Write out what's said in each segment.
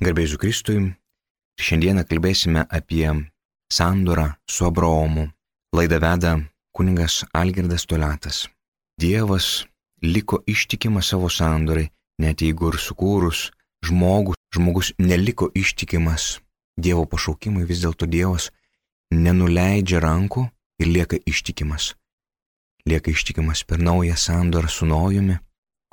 Garbė Jėzui Kristui. Šiandieną kalbėsime apie sandorą su Abraomu. Laidą veda kunigas Algirdas Toliatas. Dievas liko ištikimas savo sandorai, net jeigu ir sukūrus žmogus neliko ištikimas Dievo pašaukimui, vis dėlto Dievas nenuleidžia rankų ir lieka ištikimas. Lieka ištikimas per naują sandorą su Nojumi,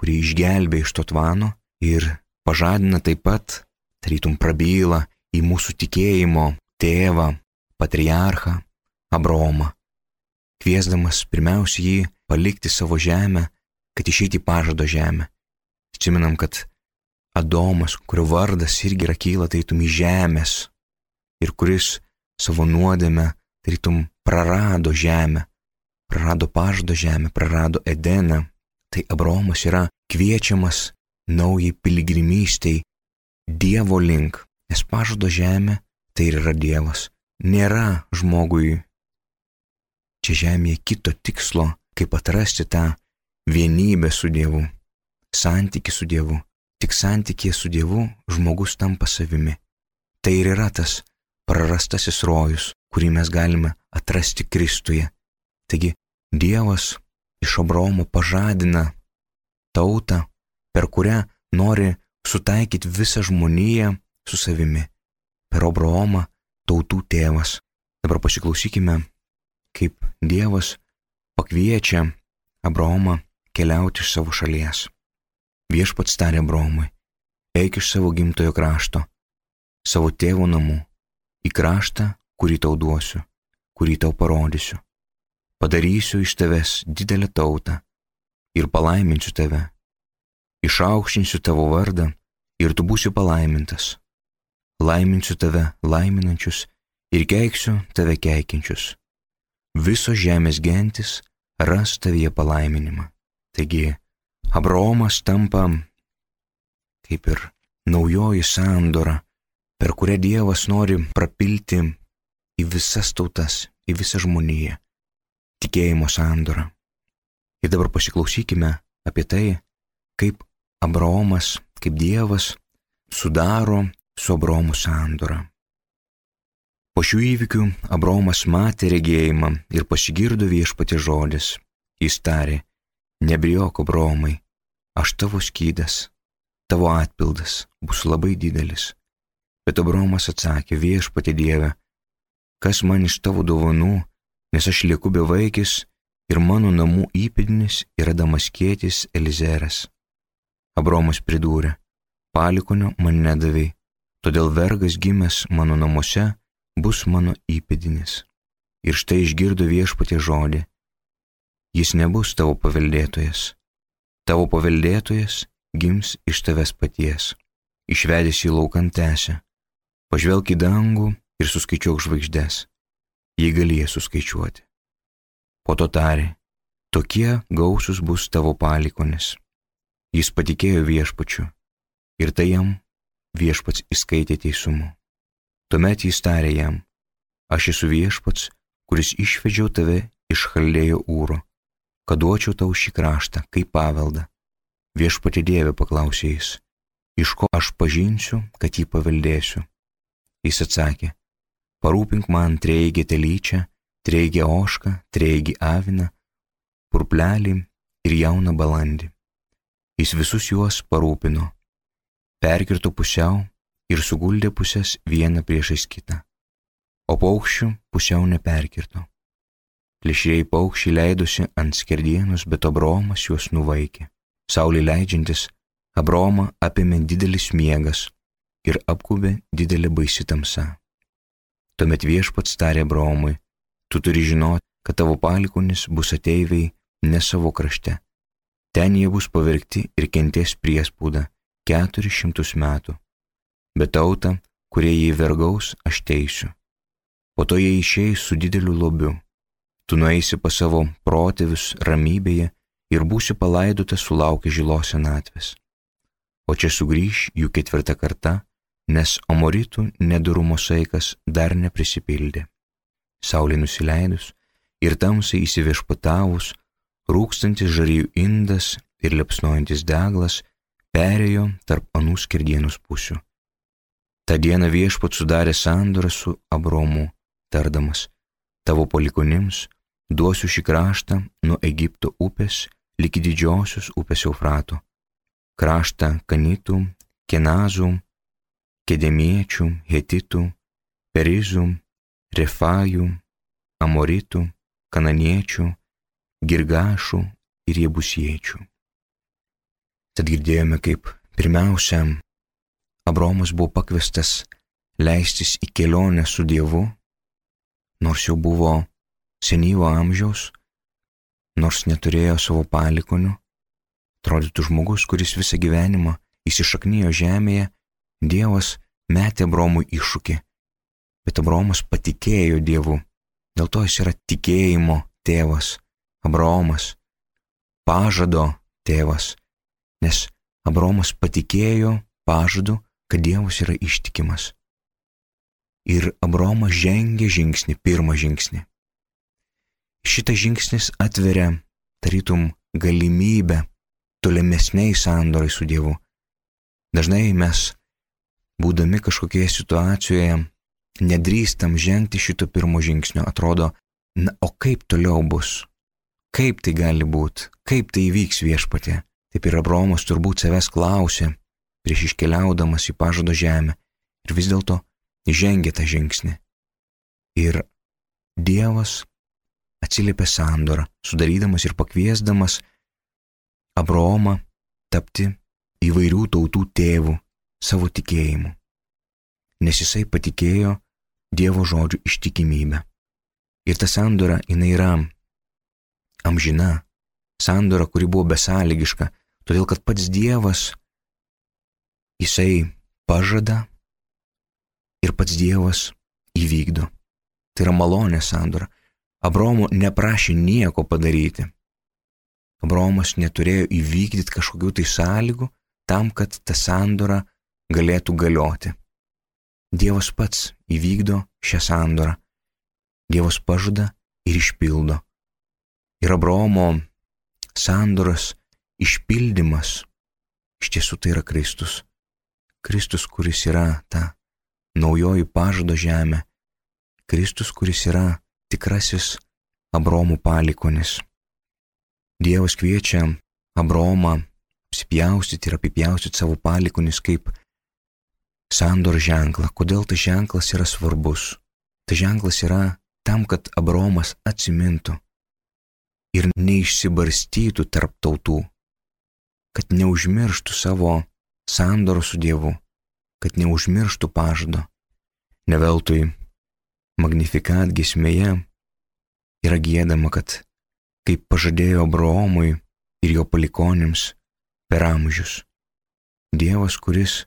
kurį išgelbė iš to tvano ir pažadina taip pat, tarytum prabyla į mūsų tikėjimo tėvą, patriarchą Abraomą, kviesdamas pirmiausia jį palikti savo žemę, kad išeiti į pažado žemę. Atsimenam, kad Adomas, kurio vardas irgi yra kyla tarytum iš žemės ir kuris savo nuodėmę tarytum prarado žemę, prarado pažado žemę, prarado Edeną, tai Abraomas yra kviečiamas naujai piligrimystei Dievo link, nes pažado žemė tai ir yra Dievas. Nėra žmogui čia žemėje kito tikslo, kaip atrasti tą vienybę su Dievu, santykį su Dievu. Tik santykėje su Dievu žmogus tampa savimi. Tai ir yra tas prarastasis rojus, kurį mes galime atrasti Kristuje. Taigi Dievas iš Abraomo pažadina tautą, per kurią nori sutaikyti visą žmoniją su savimi. Per Abraomą tautų tėvas. Dabar pasiklausykime, kaip Dievas pakviečia Abraomą keliauti iš savo šalies. Viešpats tarė Abraomui: eik iš savo gimtojo krašto, savo tėvo namų, į kraštą, kurį tau duosiu, kurį tau parodysiu. Padarysiu iš tavęs didelę tautą ir palaiminsiu tave. Išaukštinsiu tavo vardą ir tu būsi palaimintas. Laiminsiu tave laiminančius ir keiksiu tave keikiančius. Visos žemės gentis ras tavyje palaiminimą. Taigi, Abraomas tampa kaip ir naujoji sandora, per kurią Dievas nori prapilti į visas tautas, į visą žmoniją. Tikėjimo sandora. Ir dabar pasiklausykime apie tai, kaip Abraomas, kaip Dievas sudaro su Abraomu sandorą. Po šių įvykių Abraomas matė regėjimą ir pasigirdo Viešpaties žodis. Jis tarė: nebijok, Abraomai, aš tavo skydas, tavo atpildas bus labai didelis. Bet Abraomas atsakė: Viešpatie Dieve, kas man iš tavo dovanų, nes aš lieku bevaikis ir mano namų įpėdinis yra Damaskietis Elizeras. Abraomas pridūrė: palikonio man nedavei, todėl vergas gimęs mano namuose bus mano įpėdinis. Ir štai išgirdo Viešpatie žodį: jis nebus tavo paveldėtojas. Tavo paveldėtojas gims iš tavęs paties. Išvedęs į lauką tęsė: pažvelk į dangų ir suskaičiuok žvaigždes, jei gali jas suskaičiuoti. Po to tarė: tokie gausus bus tavo palikonis. Jis patikėjo Viešpačiu ir tai jam Viešpats įskaitė teisumu. Tuomet jis tarė jam: aš esu Viešpats, kuris išvedžiau tave iš Chaldėjo Ūro, kad duočiau tau šį kraštą kaip paveldą. Viešpatie Dieve, paklausė jis, iš ko aš pažinsiu, kad jį paveldėsiu? Jis atsakė: parūpink man treigę telyčią, treigę ožką, treigį aviną, purplelį ir jauną balandį. Jis visus juos parūpino, perkirto pusiau ir suguldė pusės vieną priešais kitą, o paukščių pusiau neperkirto. Plėšrieji paukščiai leidosi ant skerdienos, bet Abraomas juos nuvaikė. Saulei leidžiantis, Abraomą apėmė didelis miegas ir apkubė didelė baisi tamsa. Tuomet Viešpats tarė Abraomui: tu turi žinoti, kad tavo palikonis bus ateiviai ne savo krašte. Ten jie bus pavergti ir kentės priespaudą 400 metų. Bet tautą, kurie jį vergaus, aš teisiu. Po to jie išeis su dideliu lobiu. Tu nueisi pas savo protėvius ramybėje ir būsi palaidotas sulaukę žilos senatvės. O čia sugrįš jų 4. karta, nes Amoritų nedorumo saikas dar neprisipildė. Saulė nusileidus ir tamsai įsiviešpatavus, rūkstantis žarijų indas ir liepsnojantis deglas perėjo tarp anų skerdienos pusių. Ta diena Viešpats sudarė sandorą su Abraomu, tardamas: tavo palikuonims duosiu šį kraštą nuo Egipto upės ligi didžiosios upės Eufrato, kraštą Kanitų, Kenazų, Kedemiečių, Hetitų, Perizų, Refajų, Amoritų, Kananiečių, Girgašų ir Jebusiečių. Tad girdėjome, kaip pirmiausia Abraomas buvo pakviestas leistis į kelionę su Dievu, nors jau buvo senyvo amžiaus, nors neturėjo savo palikonių, atrodytų žmogus, kuris visą gyvenimą įsišaknijo žemėje. Dievas metė Abraomui iššūkį, bet Abraomas patikėjo Dievu, dėl to jis yra tikėjimo tėvas. Abraomas, pažado tėvas, nes Abraomas patikėjo pažadu, kad Dievas yra ištikimas. Ir Abraomas žengė žingsnį, pirmą žingsnį. Šitas žingsnis atveria tarytum galimybę tolimesniai sandorai su Dievu. Dažnai mes, būdami kažkokioje situacijoje, nedrįstam žengti šito pirmo žingsnio. Atrodo, o kaip toliau bus? Kaip tai gali būti? Kaip tai įvyks Viešpatie? Taip ir Abraomas turbūt savęs klausė prieš iškeliaudamas į pažado žemę ir vis dėlto žengė tą žingsnį. Ir Dievas atsiliepė sandorą, sudarydamas ir pakviesdamas Abraomą tapti įvairių tautų tėvų savo tikėjimu, nes jisai patikėjo Dievo žodžių ištikimybę. Ir ta sandora, jinai yra amžina, sandora, kuri buvo besąlygiška, todėl kad pats Dievas, jisai pažada ir pats Dievas įvykdo. Tai yra malonės sandora. Abraomo neprašė nieko padaryti. Abraomas neturėjo įvykdyti kažkokių tai sąlygų tam, kad ta sandora galėtų galioti. Dievas pats įvykdo šią sandorą. Dievas pažada ir išpildo. Ir Abraomo sandoros išpildymas iš tiesų tai yra Kristus. Kristus, kuris yra ta naujoji pažado žemė. Kristus, kuris yra tikrasis Abraomo palikonis. Dievas kviečia Abraomą apsipjaustyti ir apipjaustyti savo palikonis kaip sandor ženklą. Kodėl tas ženklas yra svarbus? Tas ženklas yra tam, kad Abraomas atsimintų ir neišsibarstytų tarp tautų, kad neužmirštų savo sandoro su Dievu, kad neužmirštų pažado. Ne veltui Magnificat giesmėje yra giedama, kad kaip pažadėjo Abraomui ir jo palikonėms per amžius. Dievas, kuris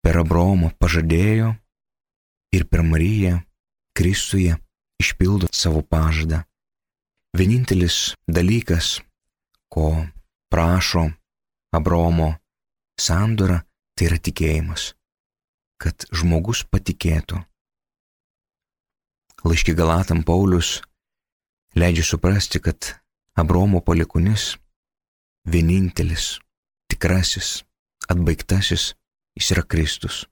per Abraomą pažadėjo ir per Mariją Kristuje išpildo savo pažadą. Vienintelis dalykas, ko prašo Abraomo sandora, tai yra tikėjimas, kad žmogus patikėtų. Laiške Galatam Paulius leidžia suprasti, kad Abraomo palikuonis vienintelis, tikrasis, atbaigtasis, jis yra Kristus.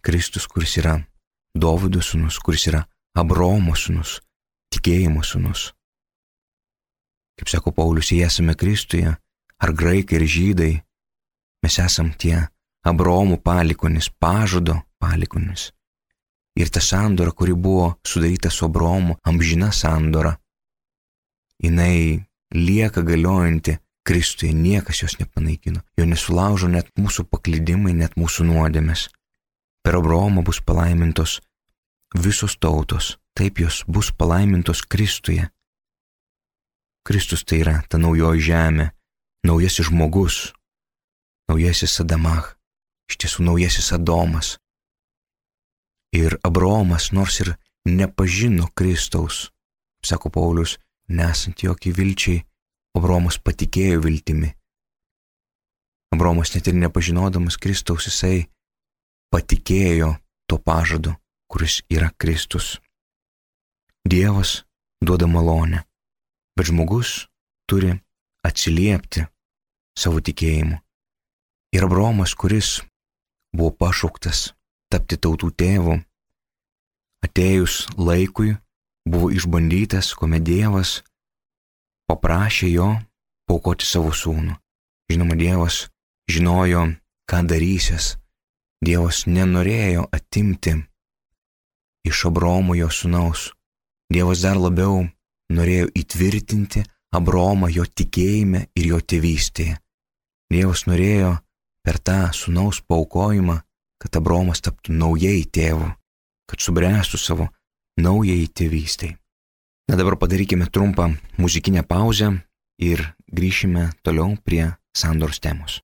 Kristus, kuris yra Dovydo sūnus, kuris yra Abraomo sūnus, tikėjimo sūnus. Kaip sako Paulius, jei esame Kristuje, ar graikai ir žydai, mes esam tie Abraomo palikuonis, pažado palikuonis. Ir ta sandora, kuri buvo sudaryta su Abraomu, amžina sandora, jinai lieka galiojanti Kristuje, niekas jos nepanaikino, jo nesulaužo net mūsų paklydimai, net mūsų nuodėmės. Per Abraomą bus palaimintos visos tautos, taip jos bus palaimintos Kristuje. Kristus tai yra ta naujoji žemė, naujasis žmogus, naujasis Adamach, iš tiesų naujasis Adomas. Ir Abraomas, nors ir nepažino Kristaus, sako Paulius, nesant jokiai vilčiai, Abraomas patikėjo viltimi. Abraomas net ir nepažinodamas Kristaus, jisai patikėjo to pažadu, kuris yra Kristus. Dievas duoda malonę, bet žmogus turi atsiliepti savo tikėjimu. Ir Abraomas, kuris buvo pašauktas tapti tautų tėvu, atėjus laikui buvo išbandytas, kuomet Dievas paprašė jo paaukoti savo sūnų. Žinoma, Dievas žinojo, ką darysis. Dievas nenorėjo atimti iš Abraomo jo sūnaus. Dievas dar labiau norėjo įtvirtinti Abraomą jo tikėjime ir jo tėvystėje. Dievas norėjo per tą sūnaus paaukojimą, kad Abraomas taptų naujai tėvu, kad subręstų savo naujai tėvystėj. Na dabar padarykime trumpą muzikinę pauzę ir grįšime toliau prie sandoros temos.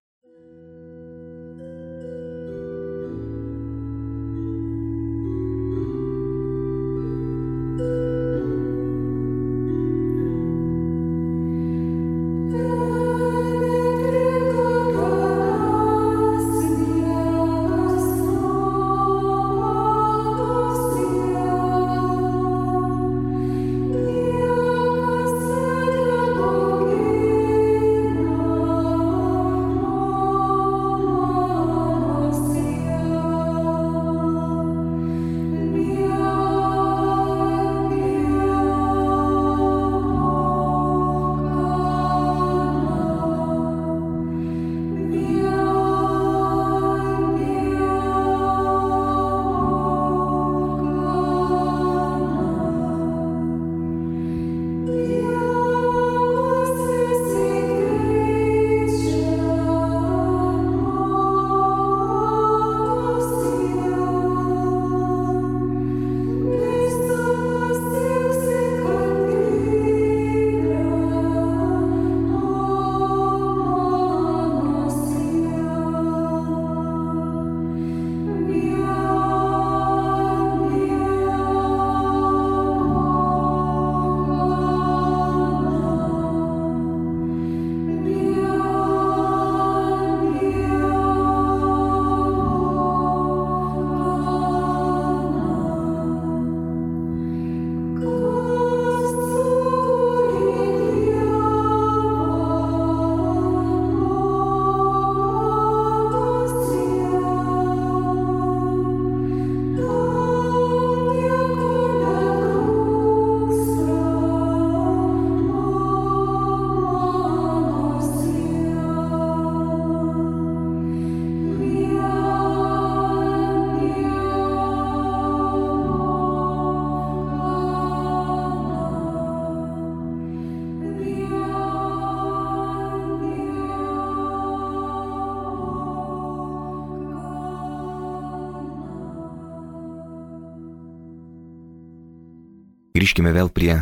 Grįžkime vėl prie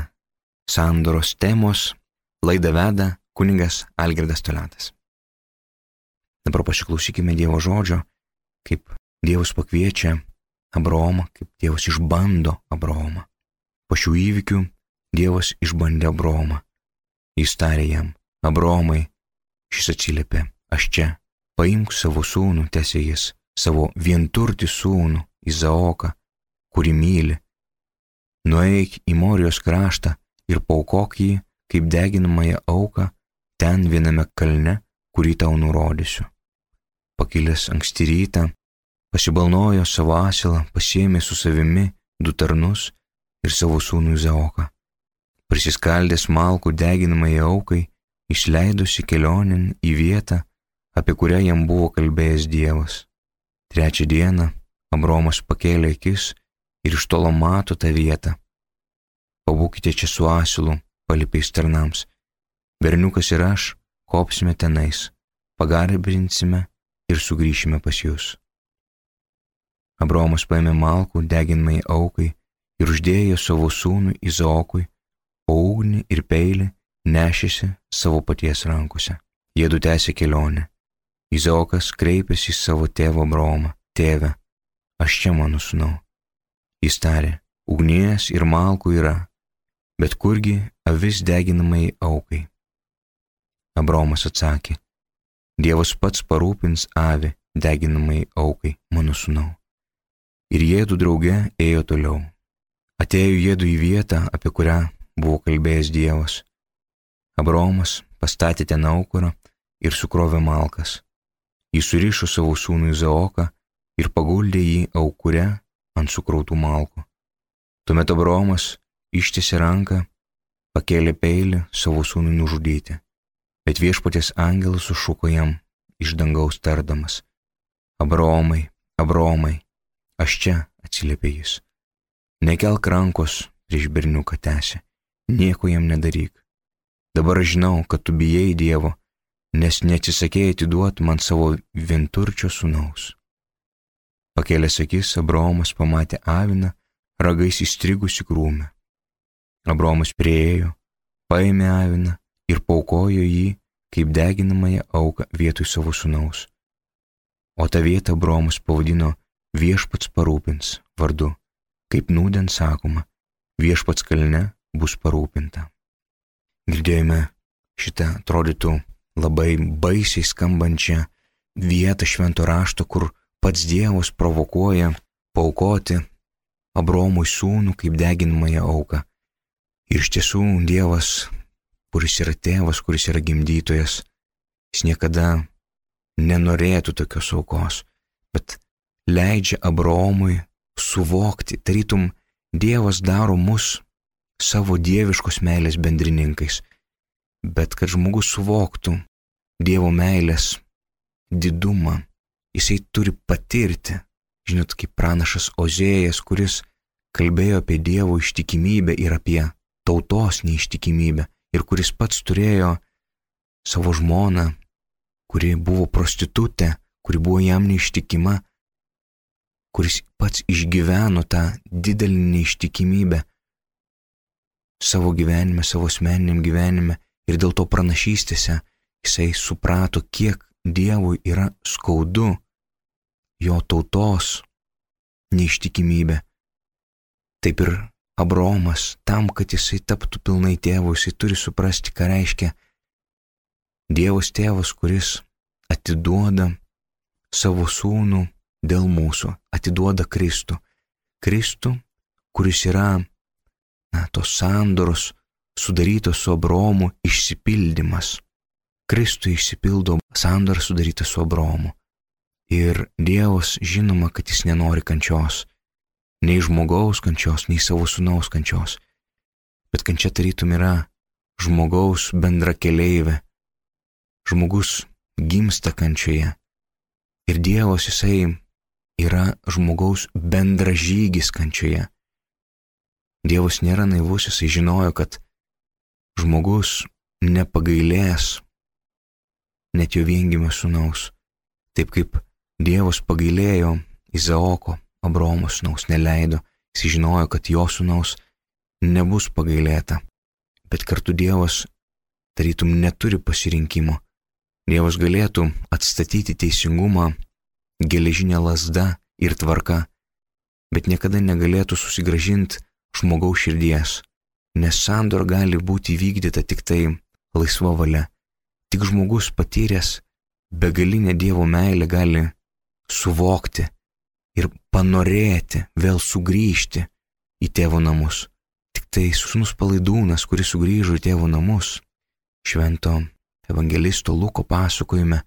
sandoros temos. Laidą veda kunigas Algirdas Toliatas. Dabar pasiklausykime Dievo žodžio, kaip Dievas pakviečia Abraomą, kaip Dievas išbando Abraomą. Po šių įvykių Dievas išbandė Abraomą. Jis tarė jam: Abraomai, šis atsiliepė: aš čia, paimk savo sūnų, tęsė jis, savo vienturtį sūnų Izaoką, kurį myli. Nueik į Morijos kraštą ir paaukok jį kaip deginamąją auką ten viename kalne, kurį tau nurodysiu. Pakilęs anksti rytą, pasibalnojo savo asilą, pasiėmė su savimi 2 tarnus ir savo sūnų Izaoką. Prisiskaldęs malkų deginamąjai aukai, išleidosi kelionėn į vietą, apie kurią jam buvo kalbėjęs Dievas. 3 dieną Abraomas pakėlė akis ir iš tolo mato tą vietą. Pabūkite čia su asilu, palipė tarnams. Berniukas ir aš kopsime tenais, pagarbinsime ir sugrįšime pas jūs. Abraomas paėmė malkų deginamai aukai ir uždėjo savo sūnui Izaokui, o ugnį ir peilį nešėsi savo paties rankose. Jiedu tęsė kelionę. Izaokas kreipėsi į savo tėvą Abraomą: tėve, aš čia, mano sūnau. Jis tarė: ugnies ir malkų yra, bet kurgi avis deginamai aukai? Abraomas atsakė: Dievas pats parūpins avį deginamai aukai, mano sūnau. Ir jiedu drauge ėjo toliau. Atėjo jiedu į vietą, apie kurią buvo kalbėjęs Dievas. Abraomas pastatė ten aukurą ir sukrovė malkas. Jis surišo savo sūnų Izaoką ir paguldė jį aukure ant sukrautų malkų. Tuomet Abraomas ištiesė ranką, pakėlė peilį savo sūnui nužudyti, bet viešpaties angelas sušuko jam iš dangaus tardamas: Abraomai, Abraomai, aš čia, atsiliepė jis. Nekelk rankos prieš berniuką, tęsė, nieko jam nedaryk. Dabar žinau, kad tu bijai Dievo, nes neatsisakėjai atiduoti man savo vienturčio sūnaus. Pakėlęs akis, Abraomas pamatė aviną ragais įstrigusi krūme. Abraomas priėjo, paėmė aviną ir paaukojo jį kaip deginamąją auką vietoj savo sūnaus. O tą vietą Abraomas pavadino Viešpats parūpins vardu, kaip nūdien sakoma, Viešpats kalne bus parūpinta. Girdėjome šitą atrodytų labai baisiai skambančią vietą švento rašto, kur pats Dievas provokuoja paaukoti Abraomui sūnų kaip deginamąją auką. Ir iš tiesų Dievas, kuris yra tėvas, kuris yra gimdytojas, jis niekada nenorėtų tokios aukos, bet leidžia Abraomui suvokti, tarytum Dievas daro mus savo dieviškos meilės bendrininkais, bet kad žmogus suvoktų Dievo meilės didumą, jisai turi patirti. Žinot, kaip pranašas Ozėjas, kuris kalbėjo apie Dievo ištikimybę ir apie tautos neištikimybę, ir kuris pats turėjo savo žmoną, kuri buvo prostitutė, kuri buvo jam neištikima, kuris pats išgyveno tą didelį neištikimybę savo gyvenime, savo asmeniniam gyvenime, ir dėl to pranašystėse jisai suprato, kiek Dievui yra skaudu jo tautos neištikimybė. Taip ir Abraomas, tam, kad jisai taptų pilnai tėvu, jisai turi suprasti, ką reiškia Dievas tėvas, kuris atiduoda savo sūnų dėl mūsų, atiduoda Kristų. Kristų, kuris yra tos sandoros sudarytos su Abraomu išsipildymas. Kristui išsipildo sandora sudaryta su Abraomu. Ir Dievas žinoma, kad jis nenori kančios, nei žmogaus kančios, nei savo sūnaus kančios. Bet kančia tarytum yra žmogaus bendra keleivė. Žmogus gimsta kančioje. Ir Dievas jisai yra žmogaus bendražygis kančioje. Dievas nėra naivus, jisai žinojo, kad žmogus nepagailės net jo viengimio sūnaus. Taip kaip Dievas pagailėjo Izaoko, Abraomo sūnaus, neleido, jis žinojo, kad jo sūnaus nebus pagailėta. Bet kartu Dievas tarytum neturi pasirinkimo. Dievas galėtų atstatyti teisingumą geležinė lazda ir tvarka, bet niekada negalėtų susigrąžinti žmogaus širdies, nes sandora gali būti įvykdyta tik tai laisva valia. Tik žmogus patyręs begalinę Dievo meilę gali suvokti ir panorėti vėl sugrįžti į tėvo namus. Tik tai sūnus Palaidūnas, kuris sugrįžo į tėvo namus, švento evangelisto Luko pasakojime,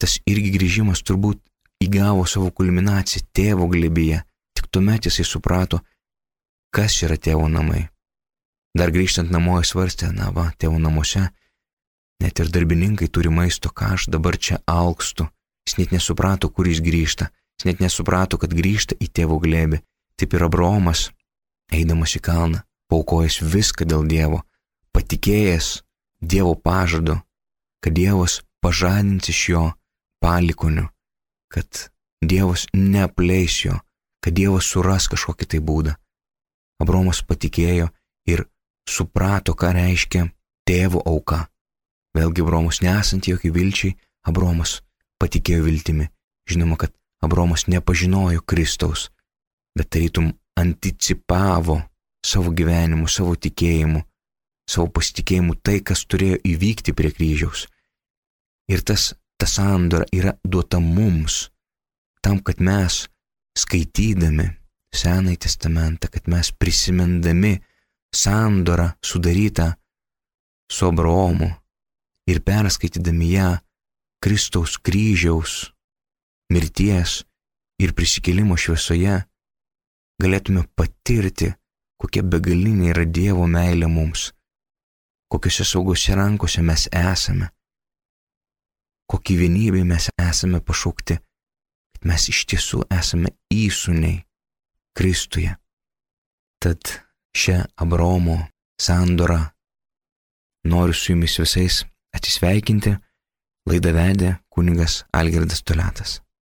tas irgi grįžimas turbūt įgavo savo kulminaciją tėvo glėbyje. Tik tuomet jisai suprato, kas yra tėvo namai. Dar grįžtant namo jis svarstė, tėvo namuose net ir darbininkai turi maisto, ką aš dabar čia alkstu. Jis net nesuprato, kur jis grįžta. Jis net nesuprato, kad grįžta į tėvo glėbį. Taip ir Abraomas, eidamas į kalną, paaukojęs viską dėl Dievo, patikėjęs Dievo pažadu, kad Dievas pažadins iš jo palikonių, kad Dievas neapleis jo, kad Dievas suras kažkokį tai būdą. Abraomas patikėjo ir suprato, ką reiškia tėvo auka. Vėlgi Abraomas nesant jokiai vilčiai, Abraomas patikėjo viltimi. Žinoma, kad Abraomas nepažinojo Kristaus, bet tarytum anticipavo savo gyvenimu, savo tikėjimu, savo pasitikėjimu tai, kas turėjo įvykti prie kryžiaus. Ir ta sandora yra duota mums, tam, kad mes skaitydami Senąjį testamentą, kad mes prisimindami sandorą sudarytą su Abraomu ir perskaitydami ją Kristaus kryžiaus mirties ir prisikėlimo šviesoje galėtume patirti, kokia begalinė yra Dievo meilė mums, kokiuose saugiuose rankose mes esame, kokį vienybę mes esame pašaukti, kad mes iš tiesų esame įsūniai Kristuje. Tad šią Abraomo sandorą noriu su jumis visais atsisveikinti. Laidą vedė kunigas Algirdas Toliatas.